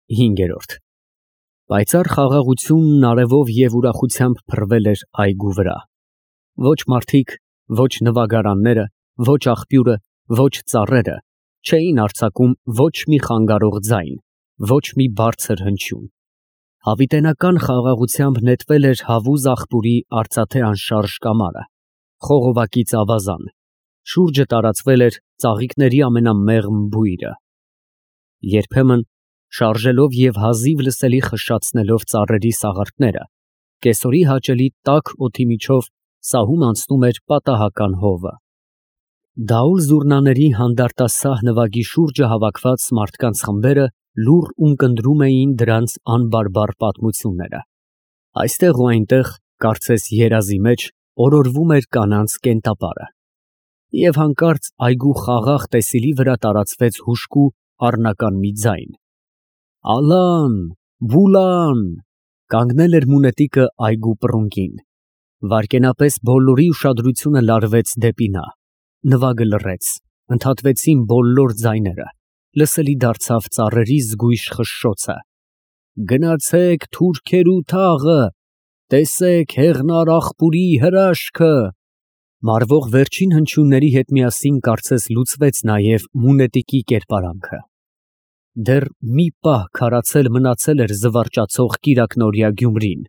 5 Պայծառ խաղաղությունն արևով և ուրախությամբ փռվել էր այգու վրա։ Ոչ մարդիկ, ոչ նվագարանները, ոչ աղբյուրը, ոչ ծառերը չէին արձակում ոչ մի խանգարող ձայն, ոչ մի բարձր հնչյուն։ Հավիտենական խաղաղությամբ նետվել էր հավուզ աղբուրի արծաթե անշարժ կամարը, խողովակից ավազան, շուրջը տարածվել էր ծաղիկների ամենամեղմ բույրը։ Երբեմն, շարժելով և հազիվ լսելի խշշացնելով ծառերի սաղարթները, կեսօրի հաճելի տաք օդի միջով սահում անցնում էր պատահական հովը։ Դաուլ զուռնաների հանդարտասահ նվագի շուրջը հավաքված մարդկանց խմբերը լուռ ունկնդրում էին դրանց անբարբար պատմությունները։ Այստեղ ու այնտեղ, կարծես երազի մեջ, օրորվում էր կանանց կենտապարը։ Եվ հանկարծ այգու խաղաղ տեսիլի վրա տարածվեց հուժկու առնական մի ձայն. «Ալան, Բուլան», կանգնել էր մունետիկը այգու պռունգին։ Վայրկենապես բոլորի ուշադրությունը լարվեց դեպի նա, նվագը լռեց, ընդհատվեցին բոլոր ձայները, լսելի դարձավ ծառերի զգույշ խշշոցը. «Գնացեք թուրքերու թաղը, տեսեք հեղնար աղբուրի հրաշքը»։ Մարվող վերջին հնչյունների հետ միասին կարծես լուծվեց նաև մունետիկի կերպարանքը։ Դեռ մի պահ քարացել մնացել էր զվարճացող կիրակնօրյա Գյումրին,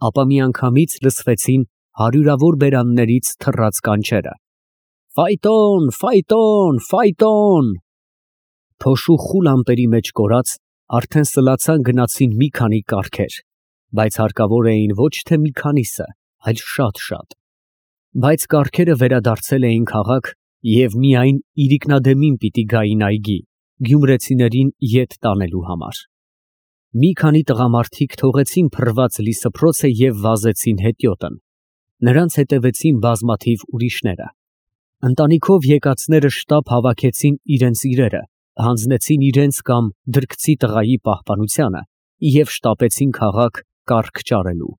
ապա միանգամից լսվեցին հարյուրավոր բերաններից թռած կանչերը. «Ֆայտոն, ֆայտոն, ֆայտոն»։ Փոշու խուլ ամպերի մեջ կորած, արդեն սլացան գնացին մի քանի կառքեր, բայց հարկավոր էին ոչ թե մի քանիսը, այլ շատ։ Բայց կառքերը վերադարձել էին քաղաք և միայն իրիկնադեմին պիտի գային այգի, գյումրեցիներին ետ տանելու համար։ Մի քանի տղամարդիկ թողեցին փռված լիսփռոցը և վազեցին հետիոտն, նրանց հետևեցին բազմաթիվ ուրիշները։ Ընտանիքով եկածները շտապ հավաքեցին իրենց իրերը, հանձնեցին իրենց կամ դրկցի տղայի պահպանությանը և շտապեցին քաղաք կառք ճարելու։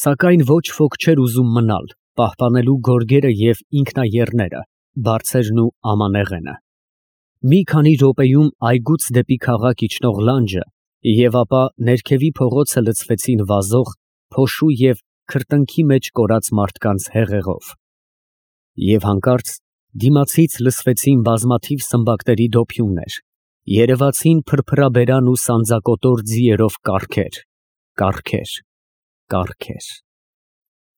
Սակայն ոչ ոք չէր ուզում մնալ, պահպանելու գորգերը և ինքնաեռները, բարձերն ու ամանեղենը։ Մի քանի րոպեում այգուց դեպի քաղաք իջնող լանջը և ապա ներքևի փողոցը լցվեցին վազող, փոշու և քրտնքի մեջ կորած մարդկանց հեղեղով։ Եվ հանկարծ դիմացից լսվեցին բազմաթիվ սմբակների դոփյուններ, երևացին փրփրաբերան ու սանձակոտոր ձիերով կառքեր, կառքեր։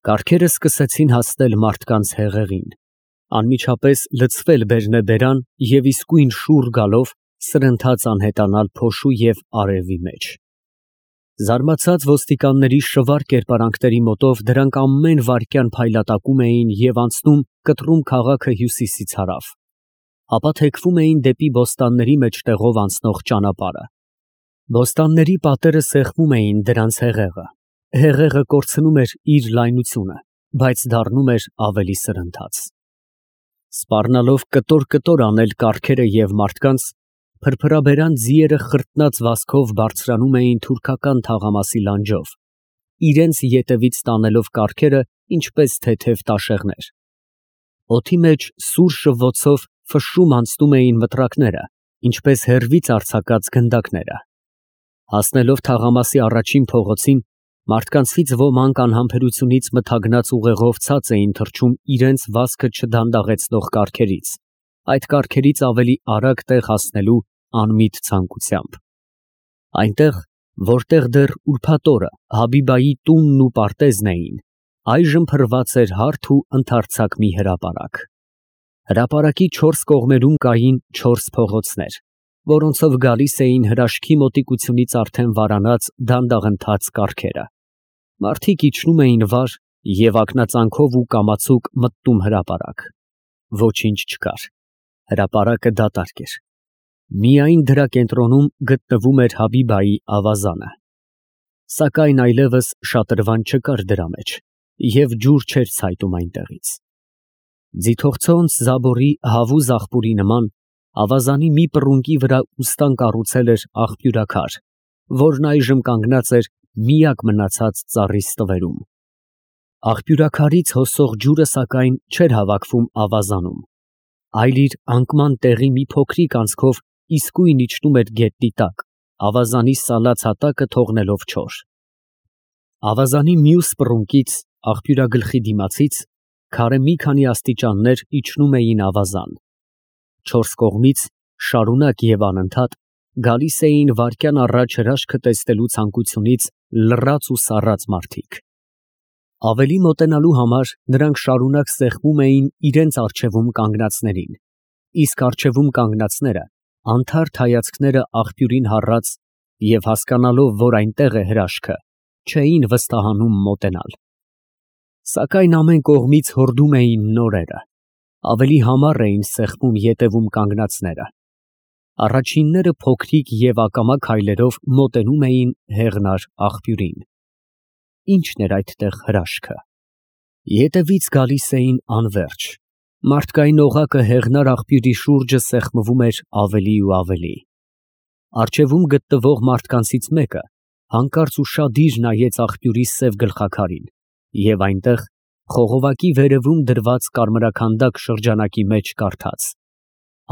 Կառքերը սկսեցին հասնել մարդկանց հեղեղին, անմիջապես լցվել բերնեբերան և իսկույն շուռ գալով սրընթաց անհետանալ փոշու և արևի մեջ։ Զարմացած ոստիկանների շվար կերպարանքների մոտով դրանք ամեն վայրկյան փայլատակում էին և անցնում կտրում քաղաքը հյուսիսից հարավ, ապա թեքվում էին դեպի բոստանների մեջտեղով անցնող ճանապարհը։ Բոստանների պատերը սեղմում էին դրանց հեղեղը կորցնում էր իր լայնությունը, բայց դառնում էր ավելի սրընթաց։ Սպառնալով կտոր անել կառքերը և մարդկանց, փրփրաբերան ձիերը խրտնած վազքով բարձրանում էին թուրքական թաղամասի լանջով, իրենց ետևից տանելով կառքերը ինչպես թեթև տաշեղներ։ Օդի մեջ սուր շվոցով ֆշշում անցնում էին մտրակները, ինչպես հեռվից արձակած գնդակները։ Հասնելով թաղամասի առաջին փողոցին, մարդկանցից ոմանք անհամբերությունից մթագնած ուղեղով ցած էին թռչում իրենց վազքը չդանդաղեցնող կառքերից, այդ կառքերից ավելի արագ տեղ հասնելու անմիտ ցանկությամբ։ Այնտեղ, որտեղ դեռ ուրբաթ օրը Հաբիբայի տունն ու պարտեզն էին, այժմ փռված էր հարթ ու ընդարձակ մի հրապարակ։ Հրապարակի չորս կողմերում կային չորս փողոցներ, որոնցով գալիս էին հրաշքի մոտիկությունից արդեն վարանած դանդաղընթաց կառքերը։ Մարդիկ իջնում էին վար և ակնածանքով ու կամացուկ մտնում հրապարակ։ Ոչինչ չկար, հրապարակը դատարկ էր։ Միայն դրա կենտրոնում գտնվում էր Հաբիբայի ավազանը։ Սակայն այլևս շատրվան չկար դրա մեջ, և ջուր չէր ցայտում այնտեղից։ Ձիթողցոնց Զաբորի հավուզ աղբուրի նման, ավազանի մի պռունգի վրա ուստան կառուցել էր աղբյուրաքար, որն այժմ կանգնած էր միակ մնացած ծառի ստվերում։ Աղբյուրաքարից հոսող ջուրը սակայն չէր հավաքվում ավազանում, այլ իր անկման տեղի մի փոքրիկ անցքով իսկույն իջնում էր գետնի տակ, ավազանի սալած հատակը թողնելով չոր։ Ավազանի մյուս պռունկից, աղբյուրագլխի դիմացից, քարե մի քանի աստիճաններ իջնում էին ավազան։ Չորս կողմից շարունակ և անընդհատ գալիս էին վայրկյան առաջ հրաշքը տեսնելու ցանկությունից լռած ու սառած մարդիկ։ Ավելի մոտենալու համար նրանք շարունակ սեղմում էին իրենց առջևում կանգնածներին, իսկ առջևում կանգնածները անթարթ հայացքները աղբյուրին հառած և հասկանալով, որ այնտեղ է հրաշքը, չէին վստահանում մոտենալ։ Սակայն ամեն կողմից հորդում էին նորերը, ավելի համառ էին սեղմում ետևում կանգնածները։ Առաջինները փոքրիկ և ակամա քայլերով մոտենում էին հեղնար աղբյուրին։ Ի՞նչն էր այդտեղ հրաշքը։ Ետևից գալիս էին անվերջ, մարդկային օղակը հեղնար աղբյուրի շուրջը սեղմվում էր ավելի ու ավելի։ Առջևում գտնվող մարդկանցից մեկը հանկարծ ու շադիր նայեց աղբյուրի սև գլխաքարին և այնտեղ խողովակի վերևում դրված կարմրաքանդակ շրջանակի մեջ կարդաց.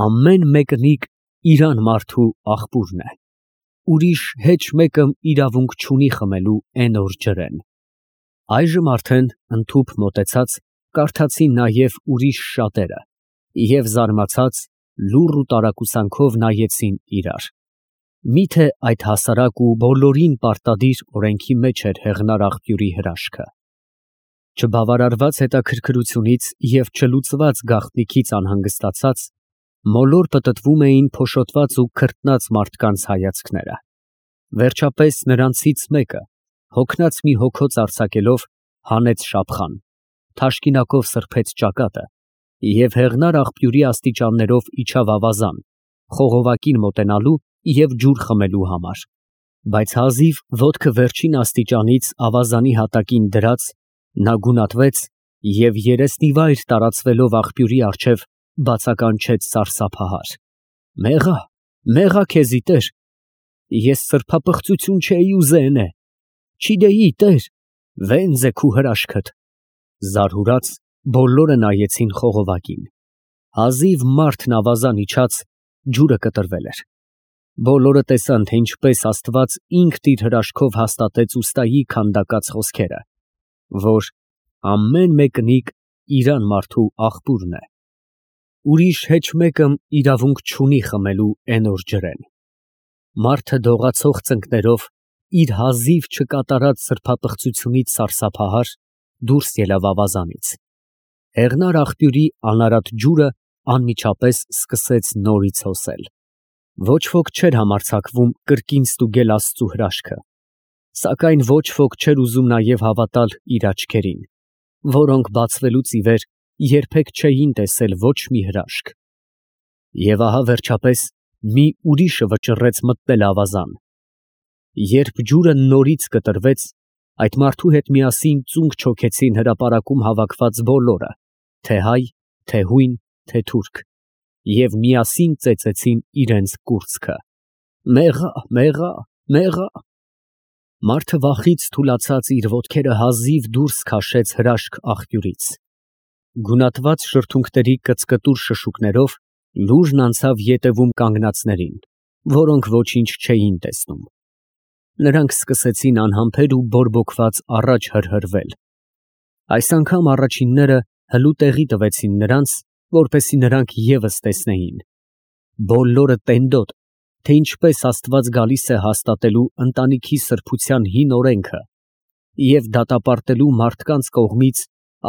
«Ամեն մեկնիկ իրան մարդու աղբուրն է, ուրիշ հեչ մեկը իրավունք չունի խմելու էն օր ջրեն»։ Այժմ արդեն ընդհուպ մոտեցած կարդացին նաև ուրիշ շատերը և զարմացած լուռ ու տարակուսանքով նայեցին իրար։ Միթե այդ հասարակ ու բոլորին պարտադիր օրենքի մեջ էր հեղնար աղբյուրի հրաշքը։ Չբավարարված հետաքրքրությունից և չլուծված գաղտնիքից անհանգստացած, մոլոր պտտվում էին փոշոտված ու քրտնած մարդկանց հայացքները։ Վերջապես նրանցից մեկը, հոգնած մի հոգոց արձակելով, հանեց շափխան, թաշկինակով սրբեց ճակատը և հեղնար աղբյուրի աստիճաններով իջավ ավազան, խողովակին մոտենալու և ջուր խմելու համար։ Բայց հազիվ ոտքը վերջին աստիճանից ավազանի հատակին դրած, նա գունատվեց և երեսնիվայր տարածվելով աղբյուրի առջև բացականչեց սարսափահար. «Մեղա, մեղա քեզի, Տեր, ես սրբապղծություն չէի ուզենե, չիդեի, Տեր, վենց է քու հրաշքդ»։ Զարհուրած բոլորը նայեցին խողովակին։ Հազիվ մարդն ավազան իջած, ջուրը կտրվել էր։ Բոլորը տեսան, թե ինչպես Աստված ինքն իր հրաշքով հաստատեց ուստայի քանդակած խոսքերը, որ ամեն մեկնիկ իրան մարդու աղբուրն է, ուրիշ հեչ մեկը իրավունք չունի խմելու էն օր ջրեն։ Մարդը դողացող ծնկներով իր հազիվ չկատարած սրբապղծությունից սարսափահար դուրս ելավ ավազանից։ Հեղնար աղբյուրի անարատ ջուրը անմիջապես սկսեց նորից հոսել։ Ոչ ոք չէր համարձակվում կրկին ստուգել Աստծու հրաշքը, սակայն ոչ ոք չէր ուզում նաև հավատալ իր աչքերին, որոնք բացվելուց ի վեր երբեք չէին տեսել ոչ մի հրաշք։ Եվ ահա վերջապես մի ուրիշը վճռեց մտնել ավազան։ Երբ ջուրը նորից կտրվեց, այդ մարդու հետ միասին ծունկ չոքեցին հրապարակում հավաքված բոլորը, թե հայ, թե հույն, թե թուրք, և միասին ծեծեցին իրենց կուրծքը. «Մեղա, մեղա, մեղա»։ Մարդը վախից թուլացած իր ոտքերը հազիվ դուրս քաշեց հրաշք աղբյուրից։ Գունատված շրթունքների կծկտուր շշուկներով լուռն անցավ ետևում կանգնածներին, որոնք ոչինչ չէին տեսնում։ Նրանք սկսեցին անհամբեր ու բորբոքված առաջ հրհրվել։ Այս անգամ առաջինները հլու տեղի տվեցին նրանց, որպեսզի նրանք ևս տեսնեին։ Բոլորը տենդոտ, թե ինչպես Աստված գալիս է հաստատելու ընտանիքի սրբության հին օրենքը և դատապարտելու մարդկանց կողմից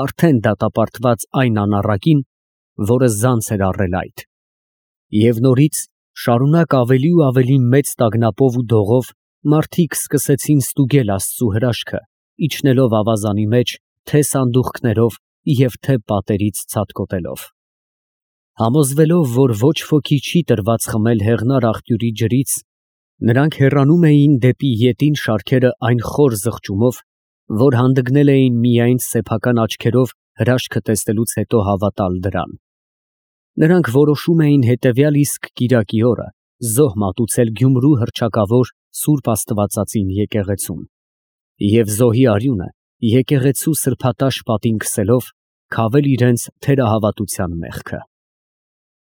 արդեն դատապարտված այն անառակին, որը զանց էր առել այդ։ Եվ նորից շարունակ ավելի ու ավելի մեծ տագնապով ու դողով մարդիկ սկսեցին ստուգել Աստծու հրաշքը, իջնելով ավազանի մեջ թե սանդուղքներով և թե պատերից ցատկոտելով։ Համոզվելով, որ ոչ ոքի չի տրված խմել հեղնար աղբյուրի ջրից, նրանք հեռանում էին դեպի ետին շարքերը այն խոր զղջումով, որ հանդգնել էին միայն սեփական աչքերով հրաշքը տեսնելուց հետո հավատալ դրան։ Նրանք որոշում էին հետևյալ իսկ կիրակի օրը զոհ մատուցել Գյումրու հռչակավոր Սուրբ Աստվածածին եկեղեցում և զոհի արյունը եկեղեցու սրբատաշ պատին քսելով քավել իրենց թերահավատության մեղքը։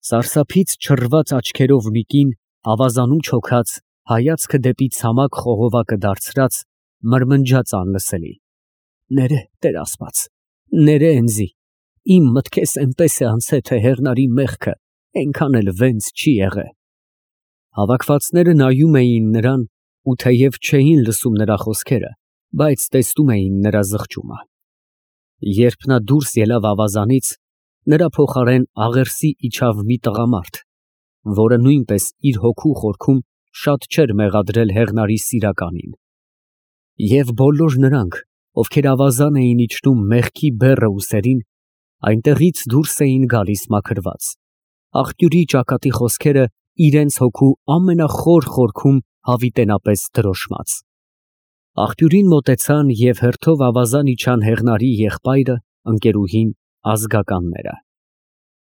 Սարսափից չռված աչքերով մի կին ավազանում չոքած հայացքը դեպի ցամաք խողովակը դարձրած, մրմնջաց անլսելի. «Ներե, Տեր Աստված, ներե ինձի, իմ մտքես էնպես է անցե, թե հեղնարի մեղքը այնքան էլ վենց չի եղե»։ Հավաքվածները նայում էին նրան ու թեև չէին լսում նրա խոսքերը, բայց տեսնում էին նրա զղջումը։ Երբ նա դուրս ելավ ավազանից, նրա փոխարեն աղերսի իջավ մի տղամարդ, որը նույնպես իր հոգու խորքում շատ չէր մեղադրել հեղնարի սիրականին։ Եվ բոլոր նրանք, ովքեր ավազան էին իջնում մեղքի բեռը ուսերին, այնտեղից դուրս էին գալիս մաքրված, աղբյուրի ճակատի խոսքերը իրենց հոգու ամենախոր խորքում հավիտենապես դրոշմած։ Աղբյուրին մոտեցան և հերթով ավազան իջան հեղնարի եղբայրը, ընկերուհին, ազգականները։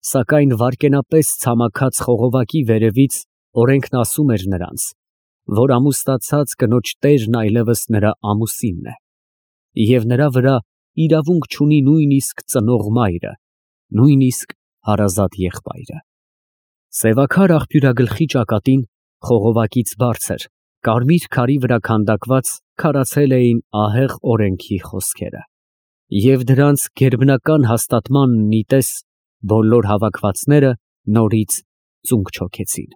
Սակայն վայրկենապես ցամաքած խողովակի վերևից օրենքն ասում էր նրանց, որ ամուսնացած կնոջ տերն այլևս նրա ամուսինն է, և նրա վրա իրավունք չունի նույնիսկ ծնող մայրը, նույնիսկ հարազատ եղբայրը։ Սևաքար աղբյուրագլխի ճակատին, խողովակից բարձր, կարմիր քարի վրա քանդակված քարացել էին ահեղ օրենքի խոսքերը։ Եվ դրանց գերբնական հաստատմանն ի տես, բոլոր հավաքվածները նորից ծունկ չոքեցին։